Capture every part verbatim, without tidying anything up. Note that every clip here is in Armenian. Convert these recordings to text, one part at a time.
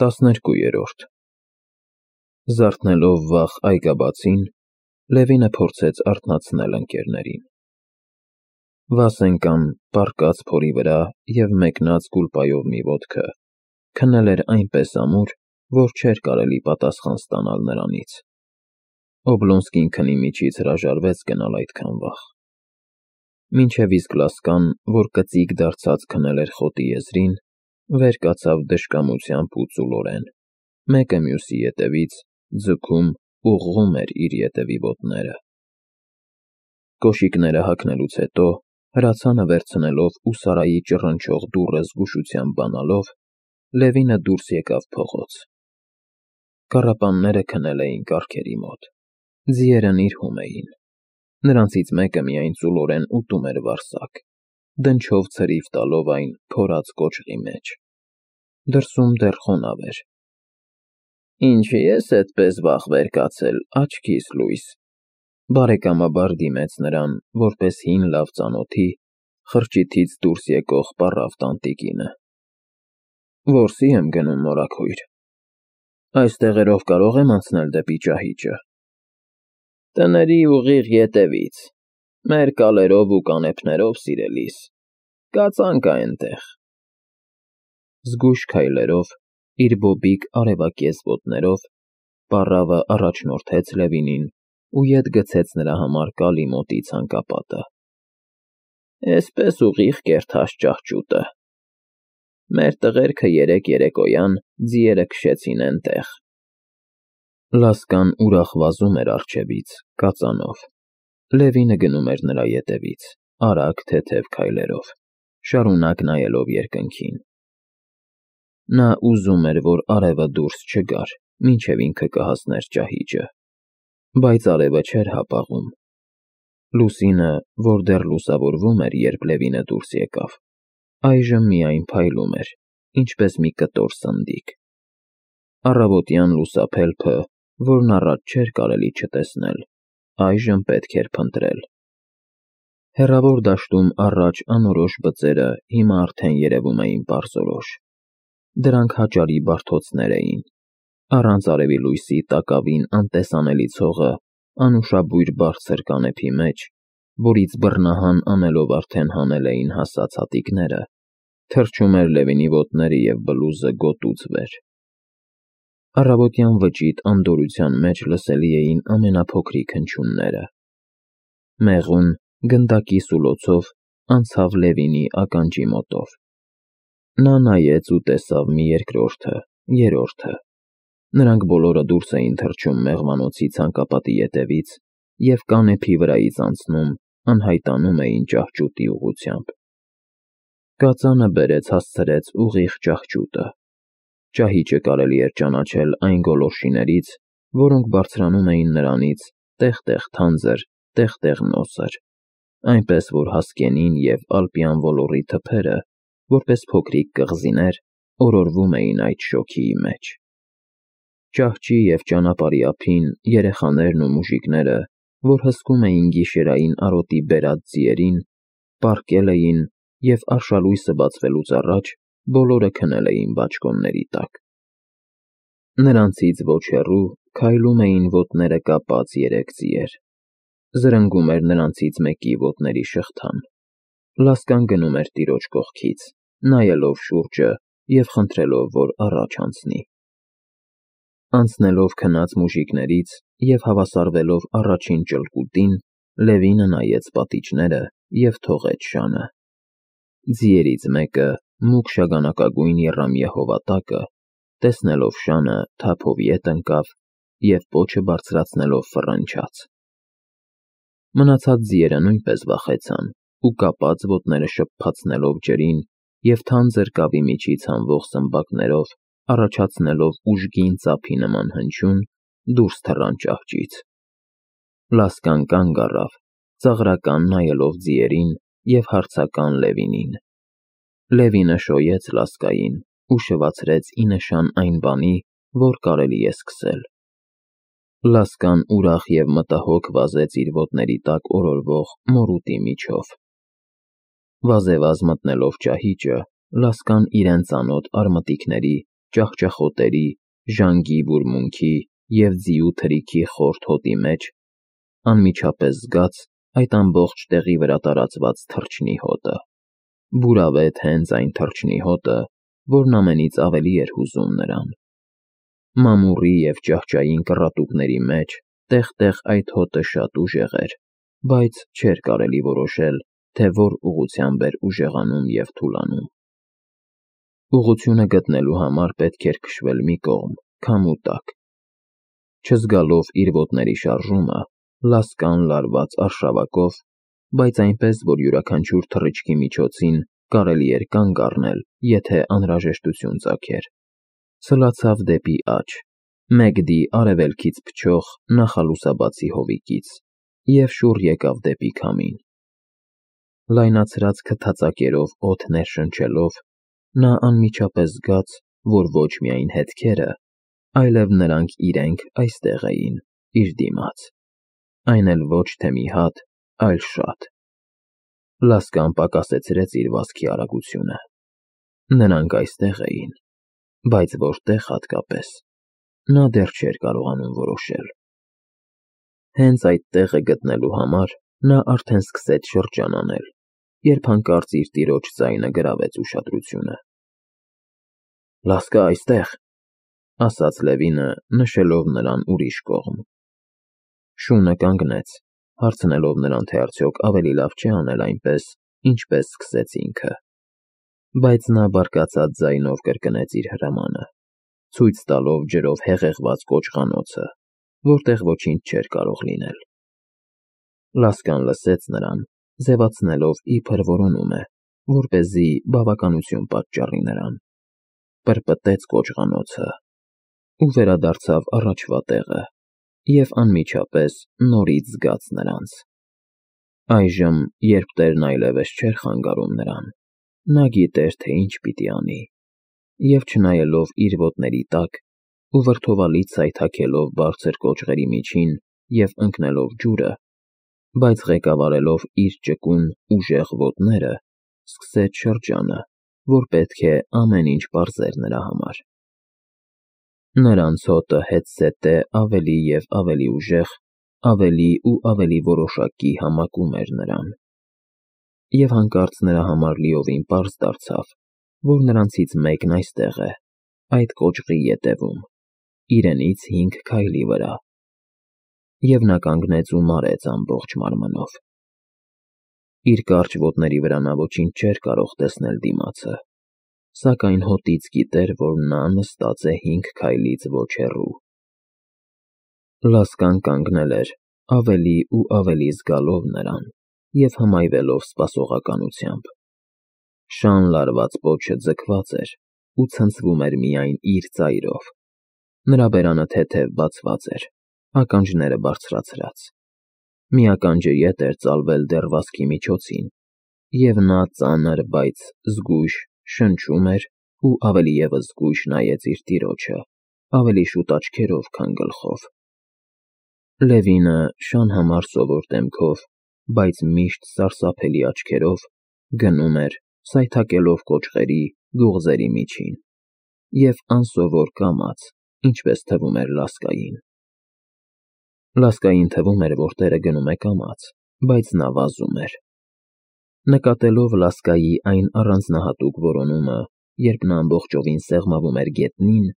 Տասներկուերորդ Զարթնելով վաղ այգաբացին, Լևինը փորձեց արթնացնել ընկերներին։ Վասենկան, պառկած փորի վրա և մեկնած գուլպայով մի ոտքը, քնել էր այնպես ամուր, որ չէր կարելի պատասխան ստանալ նրանից։ Օբլոնսկին քնի միջից հրաժարվեց գնալ այդքան վաղ։ Մինչև իսկ Լասկան, որ կծիկ դարձած քնել էր խոտի եզրին, վեր կացավ դժկամությամբ ու ծուլորեն, մեկը մյուսի ետևից, ձգում, ուղղում էր իր ետևի ոտները։ Կոշիկները հագնելուց հետո, հրացանը վերցնելով ու Սարայի ճռնչող դուռը զգուշությամբ բանալով, Լևինը դուրս եկավ փողոց։ Կառապանները քնել էին կառքերի մոտ, ձիերն իրհում էին, նրանցից մեկը միայն ծուլորեն ուտում էր վարսակ, դնչով ցրիվ տալով այն փորած կոճղի մեջ։ Դրսում դեռ խոնավ էր։ Ինչի ես էդպես վաղ վեր կացել, աչքիս լույս, բարեկամաբար դիմեց նրան, որպես հին լավ ծանոթի, խրճիթից դուրս եկող պառավ տանտիկինը։ Որսի եմ գնում, մորաքույր։ Այս տեղերով կարող եմ անցնել դեպի ճահիճը։ Տների ուղիղ ետևից, մեր կալերով ու կանեփներով, սիրելիս, կածանք այնտեղ։ Զգույշ քայլերով, իր բոբիկ արևակեզ ոտներով, պառավը առաջնորդեց Լևինին ու ետ գցեց նրա համար կալի մոտի ցանկապատը։ Էսպես ուղիղ կերթած ճահճուտը։ Մեր տղերքը երեկ երեկոյան ձիերը քշեցին էնտեղ։ Լասկան ուրախ վազում էր առջևից, կածանով։ Լևինը գնում էր նրա ետևից, արագ թեթև քայլերով, շարունակ նայելով երկնքին։ Նա ուզում էր, որ արևը դուրս չգար, մինչև ինքը կհասներ ճահիճը, բայց արևը չէր հապաղում։ Լուսինը, որ դեռ լուսավորվում էր, երբ Լևինը դուրս եկավ, այժմ միայն փայլում էր, ինչպես մի կտոր սնդիկ։ Առավոտյան լուսափելփը, որն առաջ չէր կարելի չտեսնել, այժմ պետք էր փնտրել։ Հեռավոր դաշտում առաջ անորոշ բծերը հիմա արդեն երևում էին պարզորոշ։ Դրանք հաճարի բարդոցներ էին, առանց արևի լույսի տակավին անտեսանելի ցողը անուշաբույր բարձր կանեփի մեջ, որից բռնահան անելով արդեն հանել էին հասած հատիկները, թռչում էր Լևինի ոտները և բլուզը գոտուց վեր։ Առավոտյան վճիտ անդորրության մեջ լսելի էին ամենափոքրիկ հնչյունները։ Մեղուն, գնդակի սուլոցով անցավ Լևինի ականջի մոտով։ Նա նայեց ու տեսավ մի երկրորդը, երրորդը։ Նրանք բոլորը դուրս էին թռչում մեղվանոցի ցանկապատի ետևից և կանեփի վրայից անցնում, անհայտանում էին ճահճուտի ուղղությամբ։ Կածանը բերեց հասցրեց ուղիղ ճահճուտը։ Ճահիճը կարելի էր ճանաչել այն գոլորշիներից, որոնք բարձրանում էին նրանից տեղ-տեղ թանձր, տեղ-տեղ նոսր, այնպես որ Հասկենին և ալպյան ոլորի թփերը, որպես փոքրիկ կղզիներ, օրորվում էին այդ շոգիի մեջ։ Ճահճի և ճանապարհի ափին երեխաներն ու մուժիկները, որ հսկում էին գիշերային արոտի բերած ձիերին, պառկել էին և արշալույսը բացվելուց առաջ բոլորը քնել էին բաճկոնների տակ։ Նրանցից ոչ հեռու քայլում էին ոտները կապած երեք ձիեր։ Զրնգում էր նրանցից մեկի ոտների շղթան։ Լասկան գնում էր տիրոջ կողքից, նայելով շուրջը և խնդրելով, որ առաջ անցնի։ Անցնելով քնած մուժիկներից և հավասարվելով առաջին ճլկուտին, Լևինը նայեց պատիճները և թողեց շանը։ Ձիերից մեկը, մուգ շագանակագույն եռամյա հովատակը, տեսնելով շանը, թափով ետ ընկավ և պոչը բարձրացնելով ֆռնչաց։ Մնացած ձիերը նույնպես վախեցան ու կապած ոտները շփփացնելով ջրին և թանձր կավի միջից հանվող սմբակներով, առաջացնելով ուժգին ծափի նման հնչյուն, դուրս թռան ճահճից։ Լասկան կանգ առավ, ծաղրական նայելով ձիերին և հարցական Լևինին։ Լևինը շոյեց Լասկային ու շվացրեց ի նշան այն բանի, որ կարելի է սկսել։ Լասկան ուրախ և մտահոգ վազեց իր ոտների տակ օրորվող մորուտի միջով։ Վազեվազ մտնելով ճահիճը, Լասկան իրեն ծանոթ արմատիկների ճախճախոտերի, ժանգի բուրմունքի և ձիու թրիքի խորթ հոտի մեջ, անմիջապես զգաց այդ ամբողջ տեղի վրա տարածված թռչնի հոտը, բուրավետ հենց այն թռչնի հոտը, որն ամենից ավելի էր հուզում նրան։ Մամուռի և ճահճային կռատուկների մեջ տեղ-տեղ այդ հոտը շատ ուժեղ էր, բայց չէր կարելի որոշել, թե որ ուղղությամբ էր ուժեղանում և թուլանում։ Ուղղությունը գտնելու համար պետք էր քշվել մի կողմ, քամու տակ։ Չզգալով իր ոտների շարժումը, լասկան լարված արշավակով, բայց այնպես, որ յուրաքանչյուր թռիչքի միջոցին կարելի էր կանգ առնել, եթե անհրաժեշտություն ծագեր, սլացավ դեպի աջ, մեգդի արևելքից փչող նախալուսաբացի հովիկից և շուռ եկավ դեպի քամին։ Լայնացրած քթածակերով օդ ներշնչելով, նա անմիջապես զգաց, որ ոչ միայն հետքերը, այլև նրանք իրենք այստեղ էին, իր դիմաց, այն էլ ոչ թե մի հատ, այլ շատ։ Լասկան պակասեցրեց իր վազքի արագությունը։ Նրանք այստեղ էին, բայց որտեղ հատկապես, նա դեռ չէր կարողանում որոշել։ Հենց այդ տեղը գտնելու համար նա արդեն սկսեց շրջանանել, երբ հանկարծ իր տիրոջ ձայնը գրավեց ուշադրությունը։ «Լասկա, այստեղ», ֊ ասաց Լևինը, նշելով նրան ուրիշ կողմ։ Շունը կանգնեց, հարցնելով նրան, թե արդյոք ավելի լավ չէ անել այնպես, ինչպես սկսեց ինքը։ Բայց նա բարկացած ձայնով կրկնեց իր հրամանը, ցույց տալով ջրով հեղեղված կոճղանոցը, որտեղ ոչինչ չէր կարող լինել։ Լասկան լսեց նրան, ձևացնելով, իբր որոնում է, որպեսզի բավականություն պատճառի նրան, պրպտեց կոճղանոցը ու վերադարձավ առաջվա տեղը և անմիջապես նորից զգաց նրանց։ Այժմ, երբ տերն այլևս չէր խանգարում նրան, նա գիտեր, թե ինչ պիտի անի, և չնայելով իր ոտների տակ ու վրդովալի ցայ թաքելով բարձր կոճղերի միջին և ընկնելով ջուրը, բայց ղեկավարելով իր ճկուն, ուժեղ ոտները, սկսեց շրջանը, որ պետք է ամեն ինչ պարզեր նրա համար։ Նրանց հոտը հետզհետե ավելի և ավելի ուժեղ, ավելի ու ավելի որոշակի համակում էր նրան։ Եվ հանկարծ նրա համար լիովին պարզ դարձավ, որ նրանցից մեկն այստեղ է, այդ կոճղի ետևում, իրենից հինգ քայլի վրա։ Եվ նա կանգնեց ու մարեց ամբողջ մարմնով։ Իր կարճ ոտների վրա նա ոչինչ չէր կարող տեսնել դիմացը, սակայն հոտից գիտեր, որ նա նստած է հինգ քայլից ոչ հեռու։ Լասկան կանգնել էր, ավելի ու ավելի զգալով նրան և հմայվելով սպասողականությամբ։ Շան լարված պոչը ձգված էր ու ցնցվում էր միայն իր ծայրով։ Նրա բերանը թեթև բացված էր, ականջները բարձրացրած։ Մի ականջը ետ էր ծալվել դեռ վազքի միջոցին, և նա ծանր, բայց զգույշ շնչում էր ու ավելի ևս զգույշ նայեց իր տիրոջը, ավելի շուտ աչքերով, քան գլխով։ Լևինը շան համար սովոր դեմքով, բայց միշտ սարսափելի աչքերով գնում էր, սայթաքելով կոճղերի, գուղձերի միջին, և անսովոր կամաց, ինչպես թվում էր Լասկային։ Լասկային թվում էր, որ տերը գնում է կամաց, բայց նա վազում էր։ Նկատելով Լասկայի այն առանձնահատուկ որոնումը, երբ նա ամբողջովին սեղմվում էր գետնին,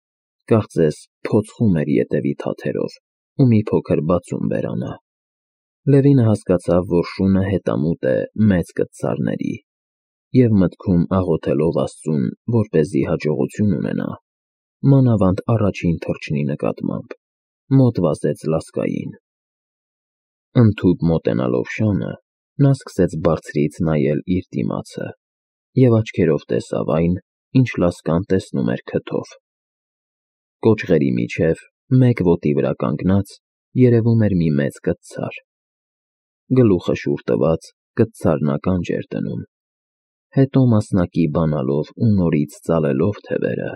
կարծես փոցխում էր ետևի թաթերով ու մի փոքր բացում բերանը, Լևինը հասկացավ, որ շունը հետամուտ է մեծ կտցարների, և մտքում աղոթելով Աստծուն, որպեսզի հաջողություն ունենա, մանավանդ առաջին թռչնի նկատմամբ, մոտ վազեց Լասկային։ Ընդհուպ մոտենալով շանը, նա սկսեց բարձրից նայել իր դիմացը և աչքերով տեսավ այն, ինչ Լասկան տեսնում էր քթով։ Կոճղերի միջև, մեկ ոտի վրա կանգնած, երևում էր մի մեծ կտցար։ Գլուխը շուռ տված, կտցարն ականջ էր դնում։ Հետո մասնակի բանալով ու նորից ծալելով թևերը,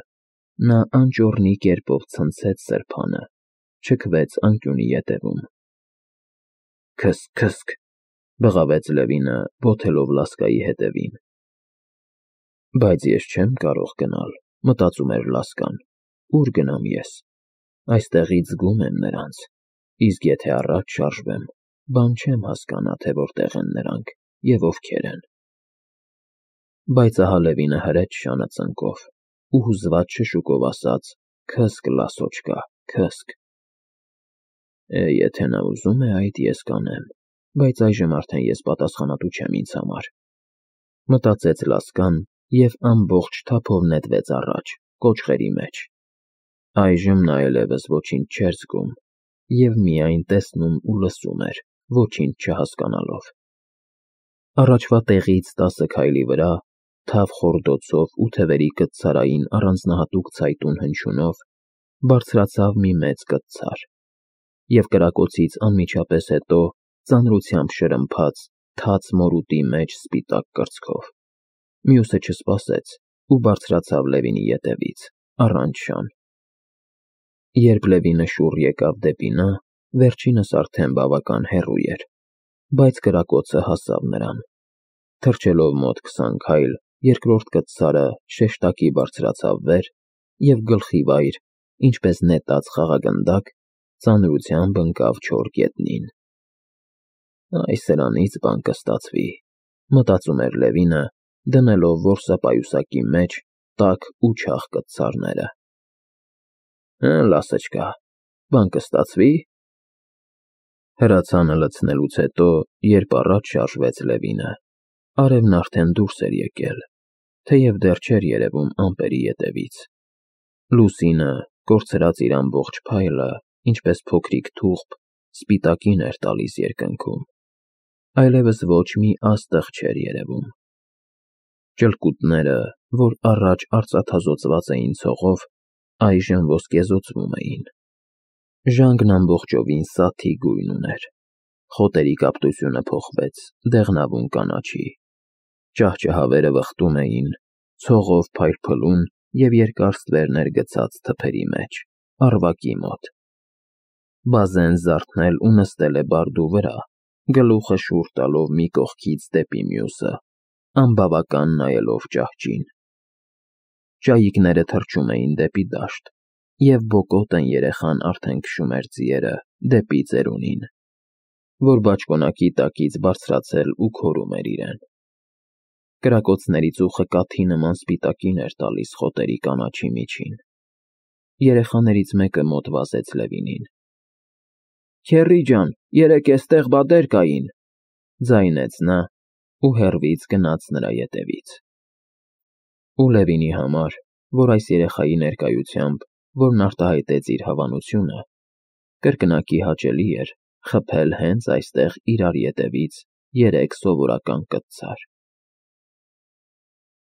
նա անճոռնի կերպով ցնցեց սրբանը, չքվեց անկյունի ետևում։ «Քըս, քըսք», բղավեց Լևինը, ոտելով Լասկայի հետևին։ Բայց ես չեմ կարող գնալ, մտածում էր Լասկան, Ուր գնամ ես։ Այստեղից զգում եմ նրանց, իսկ եթե առաջ շարժվեմ, բան չեմ հասկանա, թե որտեղ են նրանք և ովքեր են։ Բայց ահա Լևինը հրեց շանը ծնկով ու հուզված շշուկով ասաց. «Քըսք, Լասոչկա, քըսք»։ Է, եթե նա ուզում է, այդ ես կանեմ, բայց այժմ արդեն ես պատասխանատու չեմ ինձ համար, մտածեց Լասկան և ամբողջ թափով նետվեց առաջ, կոճղերի մեջ։ Այժմ նա այլևս ոչինչ չէր զգում և միայն տեսնում ու լսում էր, ոչինչ չհասկանալով։ Առաջվա տեղից տասը քայլի վրա, թավ խորդոցով ու թևերի կտցարային առանձնահատուկ ցայտուն հնչյունով, բարձրացավ մի մեծ կտցար, և կրակոցից անմիջապես հետո ծանրությամբ շրմփաց թաց մորուտի մեջ սպիտակ կրծքով։ Մյուսը չսպասեց ու բարձրացավ Լևինի ետևից, առանց շան։ Երբ Լևինը շուռ եկավ դեպի նա, վերջինս արդեն բավական հեռու էր, բայց կրակոցը հասավ նրան։ Թռչելով մոտ քսան քայլ, երկրորդ կտցարը շեշտակի բարձրացավ վեր և գլխիվայր, ինչպես նետած խաղագնդակ, ծանրությամբ ընկավ չոր գետնին։ «Այ սրանից բան կստացվի», մտածում էր Լևինը, դնելով որսապայուսակի մեջ տաք ու չաղ կտցարները։ «Հը, Լասочка, բան կստացվի»։ Հրացանը լցնելուց հետո, երբ առաջ շարժվեց Լևինը, արևն արդեն դուրս էր եկել, թեև դեռ չէր երևում ամպերի ետևից։ Լուսինը, կորցրած իր ամբողջ փայլը, ինչպես փոքրիկ թուղթ, սպիտակին էր տալիս երկնքում, այլևս ոչ մի աստղ չէր երևում։ Ճլկուտները, որ առաջ արծաթազօծված էին ցողով, այժմ ոսկեզօծվում էին։ Ժանգն ամբողջովին սաթի գույն ուներ, խոտերի կապտությունը փոխվեց դեղնավուն կանաչի, ճահճահավերը վխտում էին, ցողով փայլփլուն և երկար ստվերներ գցած թփերի մեջ, առվակի մոտ։ Բազեն զարթնել ու նստել է բարդու վրա, գլուխը շուռ տալով մի կողքից դեպի մյուսը, անբավական նայելով ճահճին։ Ճայիկները թռչում էին դեպի դաշտ, և բոկոտն երեխան արդեն քշում էր ձիերը դեպի ծերունին, որ բաճկոնակի տակից բարձրացել ու քորում էր իրեն։ Կրակոցների ծուխը կաթի նման սպիտակին էր տալիս խոտերի կանաչի միջին։ Երեխաներից մեկը մոտ վազեց Լևինին։ «Քեռի ջան, երեկ էստեղ բադեր կային», ձայնեց նա ու հեռվից գնաց նրա ետևից։ Ու Լևինի համար, որ այս երեխայի ներկայությամբ, որն արտահայտեց իր հավանությունը, կրկնակի հաճելի էր խփել հենց այստեղ իրար ետևից երեք սովորական կտցար։